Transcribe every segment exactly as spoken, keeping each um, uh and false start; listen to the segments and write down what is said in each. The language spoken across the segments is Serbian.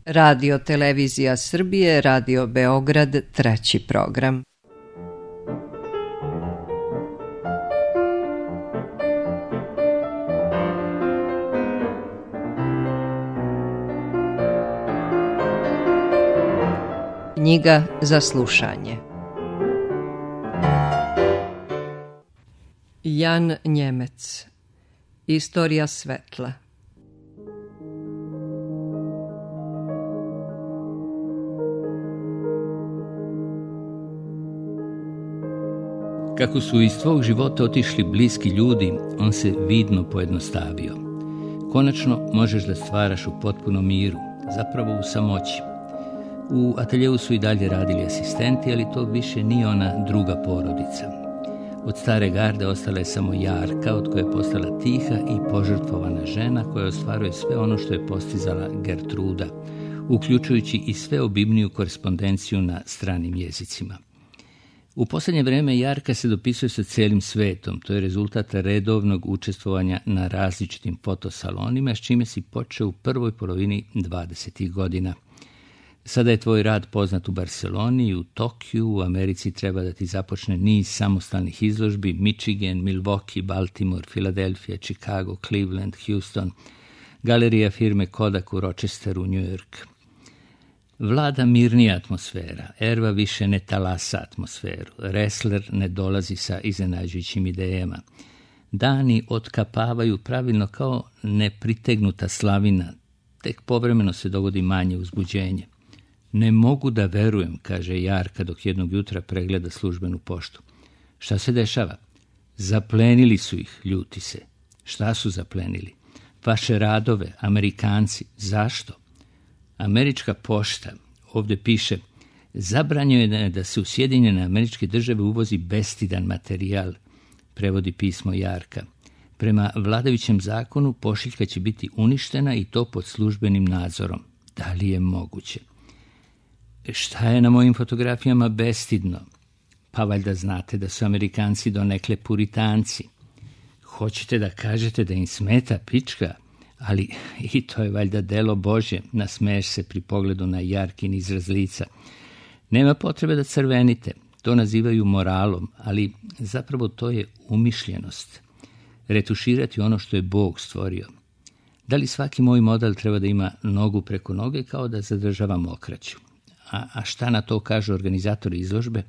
Radio Televizija Srbije, Radio Beograd, treći program. Knjiga za slušanje. Jan Njemec. Istorija svetla. Kako su iz tvog života otišli bliski ljudi, on se vidno pojednostavio. Konačno možeš da stvaraš u potpunom miru, zapravo u samoći. U ateljevu su i dalje radili asistenti, ali to više nije ona druga porodica. Od stare garde ostala je samo Jarka, od koje je postala tiha i požrtvovana žena koja ostvaruje sve ono što je postizala Gertruda, uključujući i sve obimniju korespondenciju na stranim jezicima. U posljednje vrijeme Jarka se dopisuje sa cijelim svetom, to je rezultat redovnog učestvovanja na različitim fotosalonima, s čime si počeo u prvoj polovini dvadesetih godina. Sada je tvoj rad poznat u Barceloni i u Tokiju, u Americi treba da ti započne niz samostalnih izložbi, Michigan, Milwaukee, Baltimore, Filadelfija, Chicago, Cleveland, Houston, galerija firme Kodak u Rochesteru, New York. Vlada mirnija atmosfera, erva više ne talasa atmosferu, wrestler ne dolazi sa iznenađujućim idejama. Dani otkapavaju pravilno kao nepritegnuta slavina, tek povremeno se dogodi manje uzbuđenje. Ne mogu da verujem, kaže Jarka dok jednog jutra pregleda službenu poštu. Šta se dešava? Zaplenili su ih, ljuti se. Šta su zaplenili? Vaše radove, Amerikanci. Zašto? Američka pošta, ovdje piše, zabranjeno je da se u Sjedinjene Američke Države uvozi bestidan materijal, prevodi pismo Jarka. Prema vladajućem zakonu pošiljka će biti uništena i to pod službenim nadzorom. Da li je moguće? Šta je na mojim fotografijama bestidno? Pa valjda znate da su Amerikanci donekle puritanci. Hoćete da kažete da im smeta pička? Ali i to je valjda delo Božje, nasmeješ se pri pogledu na Jarkin izraz lica. Nema potrebe da crvenite, to nazivaju moralom, ali zapravo to je umišljenost. Retuširati ono što je Bog stvorio. Da li svaki moj model treba da ima nogu preko noge kao da zadržava mokraću? A, a šta na to kažu organizatori izložbe?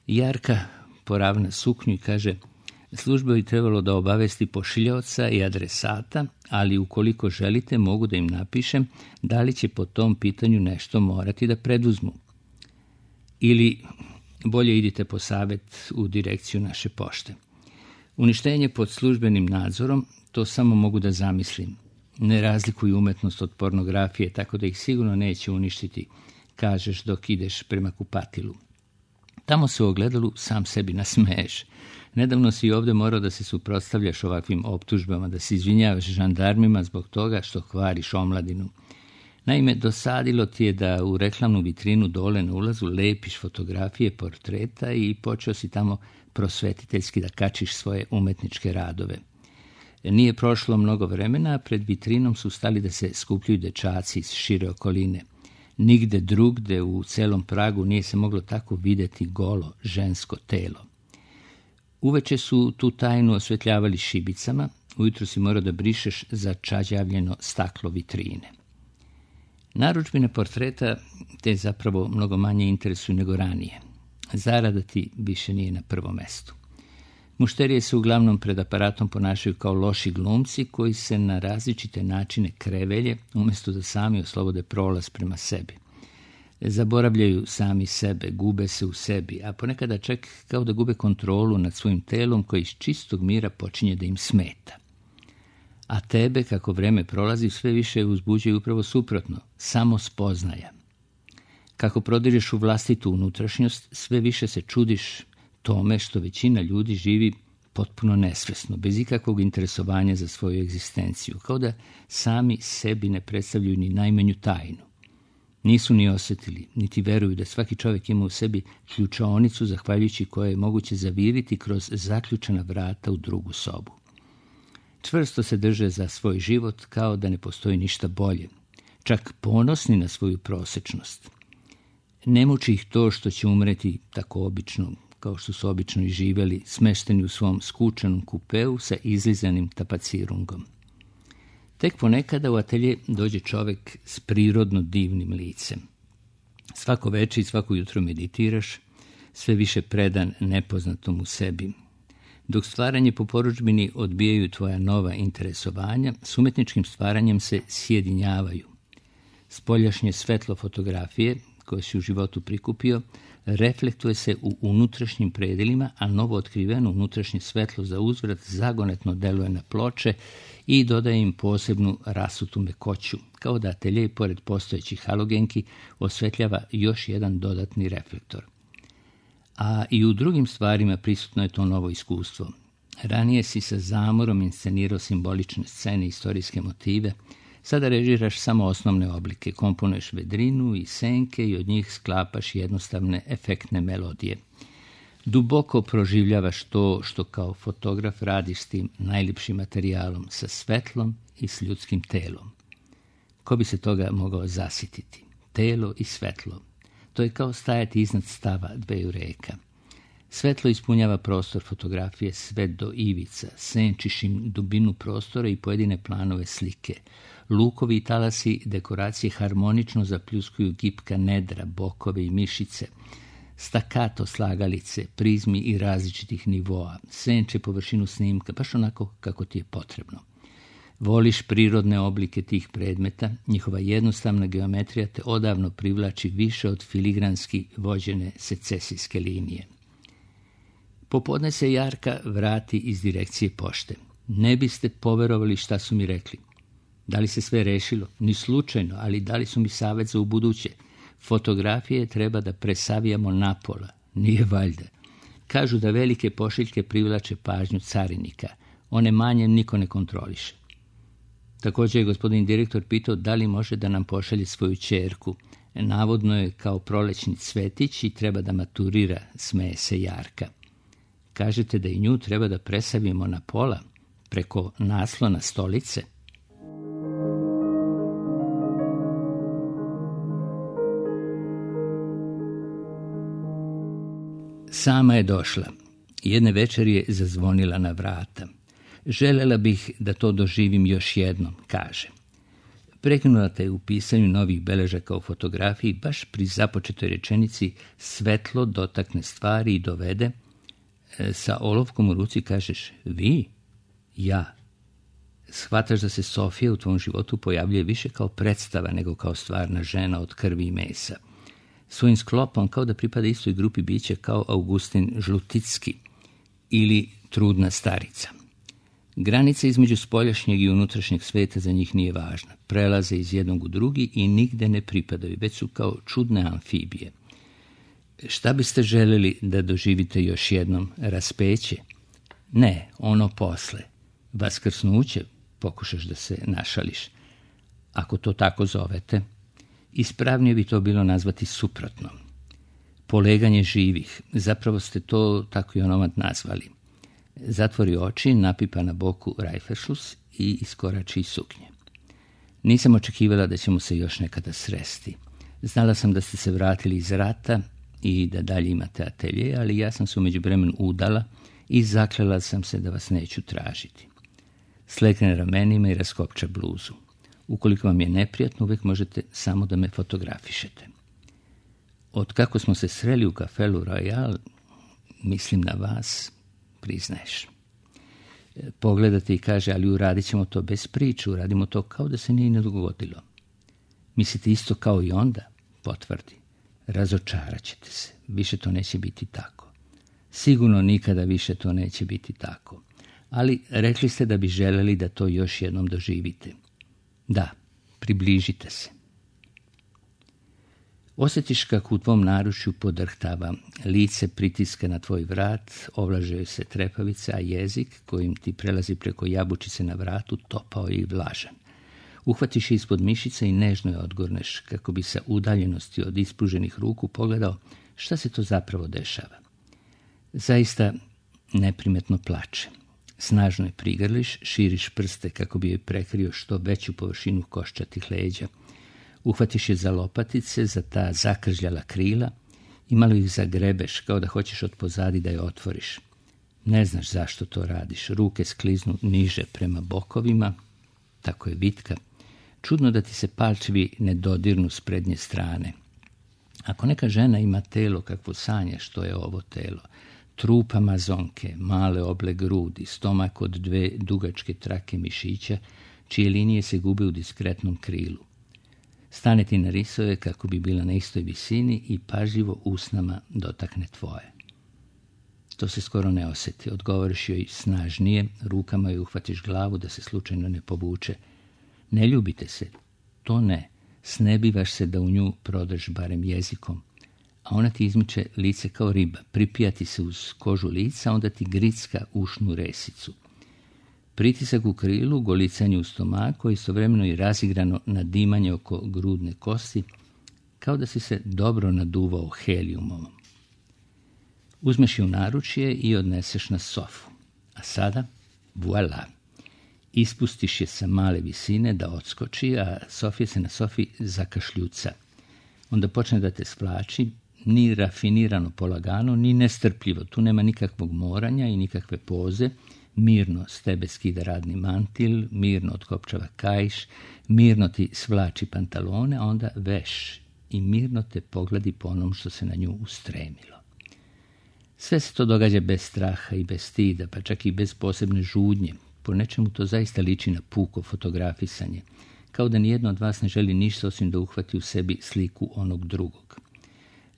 Jarka poravna suknju i kaže, služba bi trebalo da obavesti pošiljaoca i adresata, ali ukoliko želite mogu da im napišem da li će po tom pitanju nešto morati da preduzmu. Ili bolje idite po savjet u direkciju naše pošte. Uništenje pod službenim nadzorom, to samo mogu da zamislim. Ne razlikuju umetnost od pornografije, tako da ih sigurno neće uništiti, kažeš dok ideš prema kupatilu. Tamo se u ogledalu sam sebi nasmeješ. Nedavno si ovdje morao da se suprotstavljaš ovakvim optužbama, da se izvinjavaš žandarmima zbog toga što hvariš omladinu. Naime, dosadilo ti je da u reklamnu vitrinu dole na ulazu lepiš fotografije portreta i počeo si tamo prosvetiteljski da kačiš svoje umetničke radove. Nije prošlo mnogo vremena, a pred vitrinom su stali da se skupljaju dečaci iz šire okoline. Nigde drugde u celom Pragu nije se moglo tako vidjeti golo žensko telo. Uveče su tu tajnu osvetljavali šibicama, ujutro si morao da brišeš začađavljeno staklo vitrine. Narudžbine portreta te zapravo mnogo manje interesuju nego ranije. Zarada ti više nije na prvom mestu. Mušterije se uglavnom pred aparatom ponašaju kao loši glumci koji se na različite načine krevelje umjesto da sami oslobode prolaz prema sebi. Zaboravljaju sami sebe, gube se u sebi, a ponekada čak kao da gube kontrolu nad svojim telom koji iz čistog mira počinje da im smeta. A tebe, kako vreme prolazi, sve više uzbuđuje upravo suprotno, samo spoznaja. Kako prodireš u vlastitu unutrašnjost, sve više se čudiš tome što većina ljudi živi potpuno nesvesno, bez ikakvog interesovanja za svoju egzistenciju, kao da sami sebi ne predstavljaju ni najmanju tajnu. Nisu ni osjetili, niti veruju da svaki čovjek ima u sebi ključaonicu zahvaljujući koje je moguće zaviriti kroz zaključana vrata u drugu sobu. Čvrsto se drže za svoj život kao da ne postoji ništa bolje. čak ponosni na svoju prosečnost. Ne muči ih to što će umreti tako obično, kao što su obično i živjeli, smešteni u svom skučenom kupeu sa izlizanim tapacirungom. Tek ponekada u atelje dođe čovjek s prirodno divnim licem. Svako večer i svako jutro meditiraš, sve više predan nepoznatom u sebi. Dok stvaranje po porudžbini odbijaju tvoja nova interesovanja, s umjetničkim stvaranjem se sjedinjavaju. Spoljašnje svetlo fotografije, koje si u životu prikupio, reflektuje se u unutrašnjim predelima, a novo otkriveno unutrašnje svetlo za uzvrat zagonetno deluje na ploče i dodaje im posebnu rasutu mekoću, kao da atelje, pored postojećih halogenki, osvetljava još jedan dodatni reflektor. A i u drugim stvarima prisutno je to novo iskustvo. Ranije si sa zamorom inscenirao simbolične scene i istorijske motive, sada režiraš samo osnovne oblike, komponuješ vedrinu i senke i od njih sklapaš jednostavne efektne melodije. Duboko proživljavaš to što kao fotograf radiš s tim najljepšim materijalom, sa svetlom i s ljudskim telom. Ko bi se toga mogao zasititi? Telo i svetlo. To je kao stajati iznad stava dveju reka. Svetlo ispunjava prostor fotografije sve do ivica, senčiš im dubinu prostora i pojedine planove slike. Lukovi i talasi dekoracije harmonično zapljuskuju gipka nedra, bokove i mišice, stakato slagalice, prizmi i različitih nivoa, senče površinu snimka, baš onako kako ti je potrebno. Voliš prirodne oblike tih predmeta, njihova jednostavna geometrija te odavno privlači više od filigranski vođene secesijske linije. Popodne se Jarka vrati iz direkcije pošte. Ne biste poverovali šta su mi rekli. Da li se sve rešilo? Ni slučajno, ali dali su mi savjet za ubuduće. Fotografije treba da presavijamo napola. Nije valjda. Kažu da velike pošiljke privlače pažnju carinika. One manje niko ne kontroliše. Također je gospodin direktor pitao da li može da nam pošalje svoju ćerku. Navodno je kao prolećni cvetić i treba da maturira, smeje se Jarka. Kažete da i nju treba da presavimo na pola, preko naslona stolice? Sama je došla. Jedne večeri je zazvonila na vrata. Želela bih da to doživim još jednom, kaže. Prekinula te u pisanju novih beležaka o fotografiji baš pri započetoj rečenici svetlo dotakne stvari i dovede. Sa olovkom u ruci kažeš vi, ja. Shvataš da se Sofija u tvom životu pojavljuje više kao predstava nego kao stvarna žena od krvi i mesa. Svojim sklopom kao da pripada istoj grupi bića kao Augustin Žluticki ili trudna starica. Granica između spoljašnjeg i unutrašnjeg sveta za njih nije važna. Prelaze iz jednog u drugi i nigde ne pripadaju, već su kao čudne amfibije. Šta biste željeli da doživite još jednom? Raspeće? Ne, ono posle. Vaskrsnuće, pokušaš da se našališ. Ako to tako zovete, ispravnije bi to bilo nazvati suprotno. Poleganje živih, zapravo ste to tako i onomad nazvali. Zatvori oči, napipa na boku rajferšlus i iskorači iz suknje. Nisam očekivala da ćemo se još nekada sresti. Znala sam da ste se vratili iz rata i da dalje imate atelje, ali ja sam se u međuvremenu udala i zaklela sam se da vas neću tražiti. Slekne ramenima i raskopča bluzu. Ukoliko vam je neprijatno, uvijek možete samo da me fotografišete. Od kako smo se sreli u kafelu Royal, mislim na vas, priznaješ. Pogledate i kaže, ali uradit ćemo to bez priče, uradimo to kao da se nije ne dogodilo. Mislite isto kao i onda? Potvrdi. Razočarat ćete se. Više to neće biti tako. Sigurno nikada više to neće biti tako. Ali rekli ste da bi želeli da to još jednom doživite. Da, približite se. Osjetiš kako u tvom naručju podrhtava, lice pritiska na tvoj vrat, ovlažaju se trepavice, a jezik kojim ti prelazi preko jabučice na vratu topao i vlažan. Uhvatiš je ispod mišice i nežno je odgurneš, kako bi sa udaljenosti od ispruženih ruku pogledao šta se to zapravo dešava. Zaista neprimetno plače. Snažno je prigrliš, širiš prste kako bi joj prekrio što veću površinu koščatih leđa. Uhvatiš je za lopatice, za ta zakržljala krila i malo ih zagrebeš, kao da hoćeš od pozadi da je otvoriš. Ne znaš zašto to radiš. Ruke skliznu niže prema bokovima, tako je vitka. Čudno da ti se palčevi ne dodirnu s prednje strane. Ako neka žena ima telo kakvo sanjaš, što je ovo telo. Trup amazonke, male oble grudi, stomak od dve dugačke trake mišića, čije linije se gube u diskretnom krilu. Stane ti na risove kako bi bila na istoj visini i pažljivo usnama dotakne tvoje. To se skoro ne osjeti. Odgovoriš joj snažnije, rukama joj uhvatiš glavu da se slučajno ne povuče. Ne ljubite se, to ne. Snebivaš se da u nju prodrž barem jezikom, a ona ti izmiče lice kao riba, pripija ti se uz kožu lica, onda ti gricka ušnu resicu. Pritisak u krilu, golicanje u stomaku, istovremeno i razigrano nadimanje oko grudne kosti, kao da si se dobro naduvao helijumom. Uzmeš je u naručje i odneseš na sofu. A sada, voila, ispustiš je sa male visine da odskoči, a Sofija se na sofi zakašljuca. Onda počne da te splači, ni rafinirano polagano, ni nestrpljivo. Tu nema nikakvog moranja i nikakve poze. Mirno s tebe skida radni mantil, mirno otkopčava kaiš, mirno ti svlači pantalone, a onda veš i mirno te pogledi po onom što se na nju ustremilo. Sve se to događa bez straha i bez stida, pa čak i bez posebne žudnje. Po nečemu to zaista liči na puko fotografisanje, kao da nijedno od vas ne želi ništa osim da uhvati u sebi sliku onog drugog.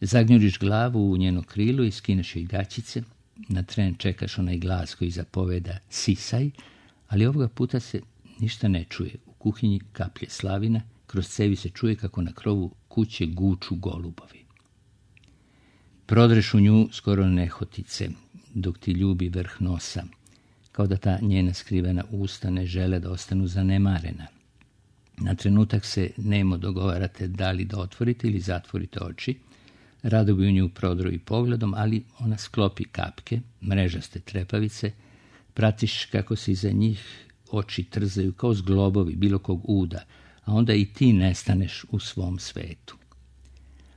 Zagnjuriš glavu u njeno krilo i skineš joj gaćice, na tren čekaš onaj glas koji zapoveda sisaj, ali ovoga puta se ništa ne čuje. U kuhinji kaplje slavina, kroz cevi se čuje kako na krovu kuće guču golubovi. Prodreš u nju skoro nehotice, dok ti ljubi vrh nosa, kao da ta njena skrivena usta ne žele da ostanu zanemarena. Na trenutak se nemo dogovarate da li da otvorite ili zatvorite oči. Rado bi u nju prodro i pogledom, ali ona sklopi kapke, mrežaste trepavice, pratiš kako se iza njih oči trzaju kao zglobovi bilo kog uda, a onda i ti nestaneš u svom svetu.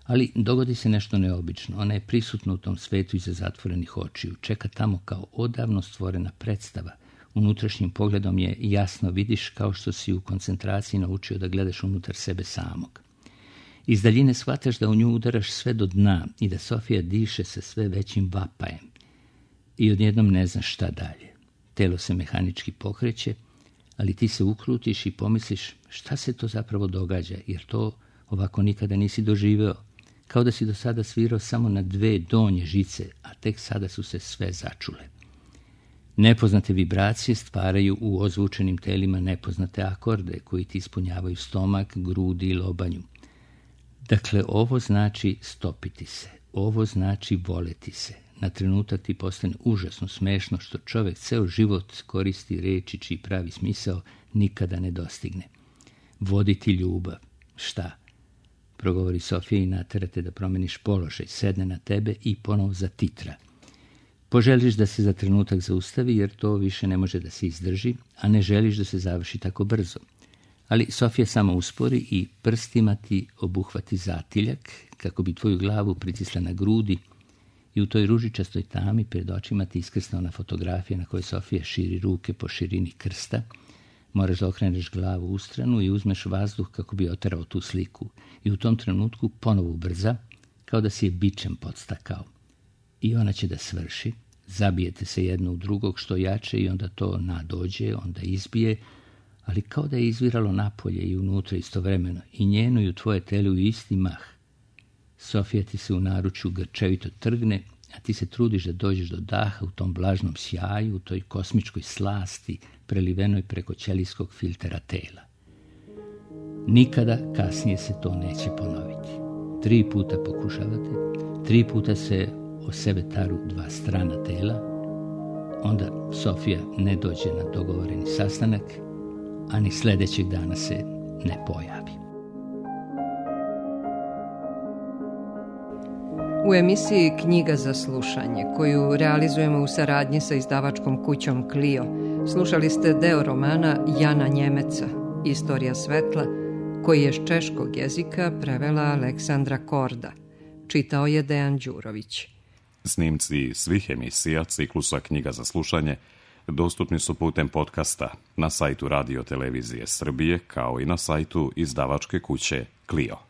Ali dogodi se nešto neobično. Ona je prisutna u tom svetu iza zatvorenih očiju. Čeka tamo kao odavno stvorena predstava. Unutrašnjim pogledom je jasno vidiš kao što si u koncentraciji naučio da gledaš unutar sebe samog. Iz daljine shvataš da u nju udaraš sve do dna i da Sofija diše sa sve većim vapajem. I odjednom ne znaš šta dalje. Telo se mehanički pokreće, ali ti se ukrutiš i pomisliš šta se to zapravo događa, jer to ovako nikada nisi doživeo. Kao da si do sada svirao samo na dve donje žice, a tek sada su se sve začule. Nepoznate vibracije stvaraju u ozvučenim telima nepoznate akorde koji ti ispunjavaju stomak, grudi i lobanju. Dakle, ovo znači stopiti se, ovo znači voleti se. Na trenutak ti postane užasno smešno što čovjek ceo život koristi reči čiji pravi smisao nikada ne dostigne. Voditi ljubav. Šta? Progovori Sofija i naterate da promeniš položaj, sedne na tebe i ponovo zatitra. Poželiš da se za trenutak zaustavi jer to više ne može da se izdrži, a ne želiš da se završi tako brzo. Ali Sofija samo uspori i prstima ti obuhvati zatiljak kako bi tvoju glavu pritisla na grudi i u toj ružičastoj tami pred očima ti iskrsna ona fotografija na kojoj Sofija širi ruke po širini krsta. Moraš da okreneš glavu u stranu i uzmeš vazduh kako bi oterao tu sliku i u tom trenutku ponovo ubrza kao da si je bičem podstakao. I ona će da svrši, zabijete se jedno u drugog što jače i onda to nadođe, onda izbije, ali kao da je izviralo napolje i unutra istovremeno, i njeno i u tvoje telo u isti mah. Sofija ti se u naručju grčevito trgne, a ti se trudiš da dođeš do daha u tom blažnom sjaju, u toj kosmičkoj slasti, prelivenoj preko ćelijskog filtera tela. Nikada kasnije se to neće ponoviti. Tri puta pokušavate, tri puta se o sebe taru dva strana tela, onda Sofija ne dođe na dogovoreni sastanak, a ni sljedećeg dana se ne pojavi. U emisiji Knjiga za slušanje, koju realizujemo u saradnji sa izdavačkom kućom Clio, slušali ste deo romana Jana Njemeca, Istorija svetla, koji je s češkog jezika prevela Aleksandra Korda. Čitao je Dejan Đurović. Snimci svih emisija ciklusa Knjiga za slušanje dostupni su putem podcasta na sajtu Radio Televizije Srbije, kao i na sajtu izdavačke kuće Clio.